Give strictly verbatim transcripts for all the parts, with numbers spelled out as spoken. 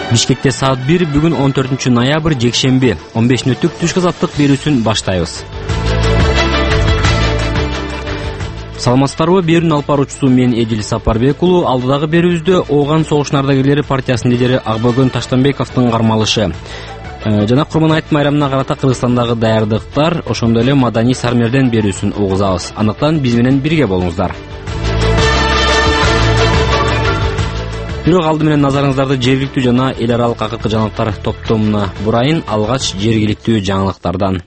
Бишкекте саат бир бүгүн он төртүнчү ноябрь жекшемби он беш мүнөттүк түшкү азаттык берүүсүн баштайбыз. Саламатсыздарбы? Берүүнүн алып баруучусу мен Эдил Сапарбек уулу. Алдыдагы берүүбүздө Ооган согуштун ардагерлери партиясынын лидери Акбөгөн Таштанбековдун кармалышы жана Курман айт майрамына карата Кыргызстандагы даярдыктар, ошондой эле маданий сармерден берүүсүн угузабыз. Андыктан биз менен бирге болуңуздар. Бирок алды менен назарыңыздарды жергиликтүү жана эл аралык акыркы жаңылыктар топтомуна бурайын. Алгач жергиликтүү жаңылыктардан.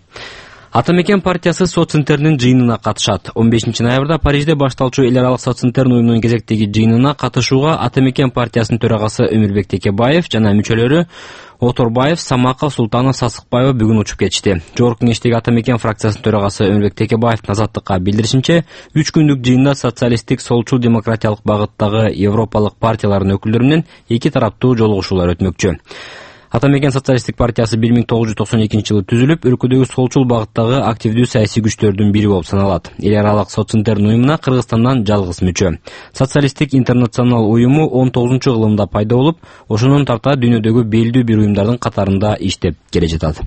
Ата мекен партиясы соццентринин жыйынына катышат. он бешинчи ноябрда Парижде башталчу эл аралык соццентрин уюмунун кезектеги жыйынына катышууга Ата мекен партиясынын төрагасы Өмүрбек Текебаев жана мүчөлөрү Оторбаев, Самаков, Султанов, Сасыкбаева бүгүн учуп кетишти. Жогорку кеңештеги Ата мекен фракциясынын төрагасы Өмүрбек Текебаевдин Азаттыкка билдиришинче, үч күндүк жыйында социалисттик, солчул, демократиялык багыттагы европалык партиялардын өкүлдөрү менен эки тараптуу жолугушуулар өтмөкчү. Ата мекен социалисттик партиясы бир миң тогуз жүз токсон экинчи жылы түзүлүп, өлкөдөгү солчул багыттагы активдүү саясий күчтөрдүн бири болуп саналат. Эл аралык соццентрин уюмуна Кыргызстандан жалгыз мүчө. Социалисттик интернационал уюму он тогузунчу кылымда пайда болуп, ошонун тарта дүйнөдөгү белдүү бир уюмдардын катарында иштеп келе жатат.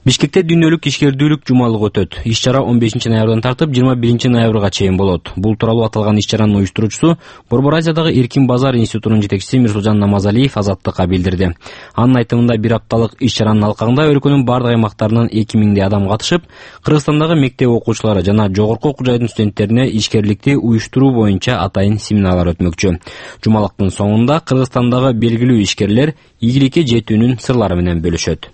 Бишкекте дүйнөлүк ишкердүүлүк жумалыгы өтөт. Иш-чара он бешинчи ноябрдан тартып жыйырма биринчи ноябрга чейин болот. Бул тууралуу аталган иш-чаранын уюштуруучусу Борбор Азиядагы Эркин базар институтунун жетекчиси Мирсулжан Намазалиев Азаттыкка билдирди. Анын айтымында бир апталык иш-чаранын алкагында өлкөнүн бардык аймактарынан эки миңдей адам катышып, Кыргызстандагы мектеп окуучулары жана жогорку окуу жайдын студенттерине ишкерликти уюштуруу боюнча атайын семинарлар өтмөкчү. Жумалыктын соңунда Кыргызстандагы белгилүү ишкерлер ийгиликке жетүүнүн сырлары менен бөлүшөт.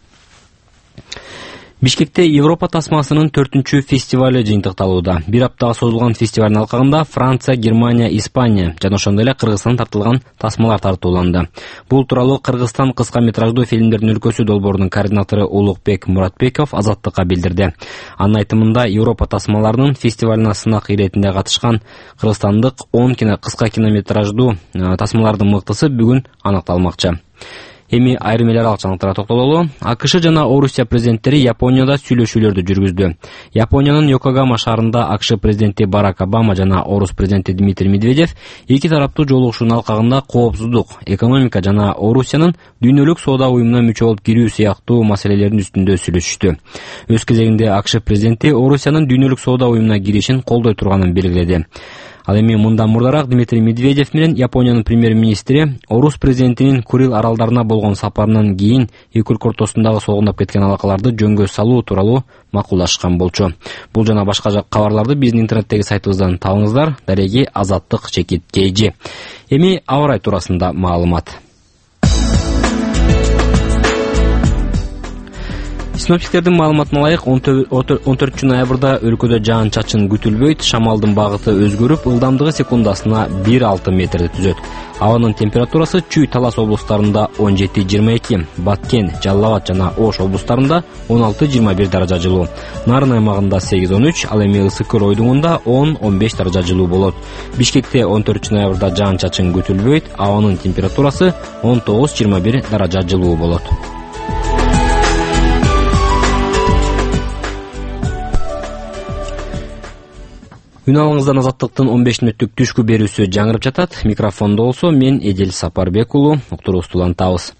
Бишкекте Европа тасмасынын төртүнчү фестивалы жыйынтыкталууда. Бир аптага созулган фестивалдын алкагында Франция, Германия, Испания жана ошондой эле Кыргызстан тартылган тасмалар тартууланды. Бул тууралуу Кыргызстан кыска метраждуу фильмдердин өлкөсү долбоорунун координатору Улукбек Муратбеков Азаттыкка билдирди. Анын айтымында Европа тасмаларынын фестивалына сынак иретинде катышкан кыргызстандык он кино кыска кинометраждуу тасмалардын мыктысы бүгүн аныкталмакчы. Эми айрым эл аралык жаңылыктарга токтололу. АКШ жана Орусия президенттери Японияда сүйлөшүүлөрдү жүргүздү. Япониянын Йокогама шаарында АКШ президенти Барак Обама жана Орус президенти Дмитрий Медведев эки тараптуу жолугушуунун алкагында коопсуздук, экономика жана Орусиянын дүйнөлүк соода уюмуна мүчө болуп кирүү сыяктуу маселелердин үстүндө сүйлөшүштү. Өз кезегинде АКШ президенти Орусиянын дүйнөлүк соода уюмуна киришин колдой турганын белгиледи. Ал эми мындан мурдараак Дмитрий Медведев менен Япониянын премьер-министри Орус президентинин Курил аралдарына болгон сапарынан кийин эки өлкө ортосундагы солгундап кеткен алакаларды жөнгө салуу тууралуу макулдашкан болчу. Бул жана башка кабарларды биздин интернеттеги сайтыбыздан табыңыздар. Дареги Азаттык чекит Кейжи. Эми аба ырайы туурасында маалымат. Синоптиктердин маалыматына ылайык он төртүнчү ноябрда өлкөдө жаан-чачын күтүлбөйт, шамалдын багыты өзгөрүп, ылдамдыгы секундасына бир алты метрди түзөт. Абанын температурасы Чүй, Талас облустарында он жети жыйырма эки, Баткен, Жалал Абад жана Ош облустарында он алты жыйырма бир даража жылуу. Нарын аймагында сегиз он үч, ал эми ысык көл ойдуңунда он он беш даража жылуу болот. Бишкекте он төртүнчү ноябрда жаан-чачын күтүлбөйт, абанын температурасы он тогуз жыйырма бир даража жылуу болот. Үн алыңыздан Азаттыктын он беш мүнөттүк түшкү берүүсү жаңырып жатат. Микрофондо болсо мен Эдил Сапарбек уулу. Уктуруубузду улантабыз.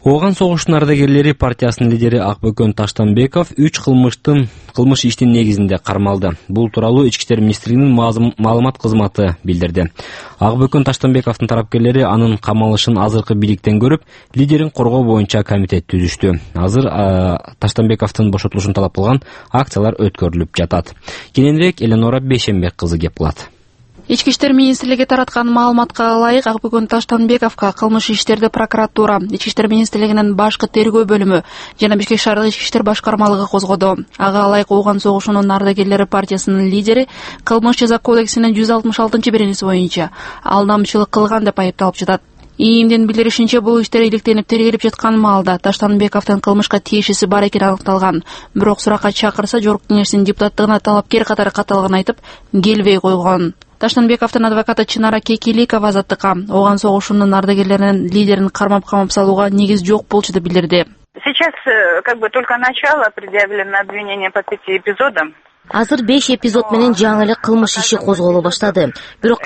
Ооган согуштун ардагерлери партиясынын лидери Акбөгөн Таштанбеков үч кылмыштын кылмыш иштин негизинде кармалды. Бул тууралуу Ички иштер министрлигинин маалымат кызматы билдирди. Акбөгөн Таштанбековдун тарапкерлери анын камалышын азыркы бийликтен көрүп, лидерин коргоо боюнча комитет түзүштү. Азыр Таштанбековдун бошотулушун талап кылган акциялар өткөрүлүп жатат. Кененирээк Эленора Бейшембек кызы кеп кылат. Ички иштер министрлиги тараткан маалыматка ылайык Акбөгөн Таштанбековго кылмыш иштерди прокуратура, Ички иштер министрлигинин башкы тергөө бөлүмү жана Бишкек шаардык ички иштер башкармалыгы козгоду. Ага ылайык Ооган согушунун ардагерлери партиясынын лидери Кылмыш жаза кодексинин жүз алтымыш алтынчы беренеси боюнча алдамчылык кылган деп айыпталып жатат. ИИМдин билдиришинче, бул иштер иликтенип тергелип жаткан маалда Таштанбековдун кылмышка тиешеси бар экени аныкталган. Бирок суракка чакырса жогорку кеңештин депутаттыгына талапкер катары катталганын айтып, келбей койгон. Таштанбековдун адвокаты Чынара Кекиликова Азаттыкка Ооган согушунун ардагерлеринин лидерин кармап-камап салууга негиз жок болчу деп билдирди. Сейчас как бы только начало, предъявлено обвинение по пяти эпизодам. Азыр беш эпизод менен жаңы эле кылмыш иши козголо баштады. Бирок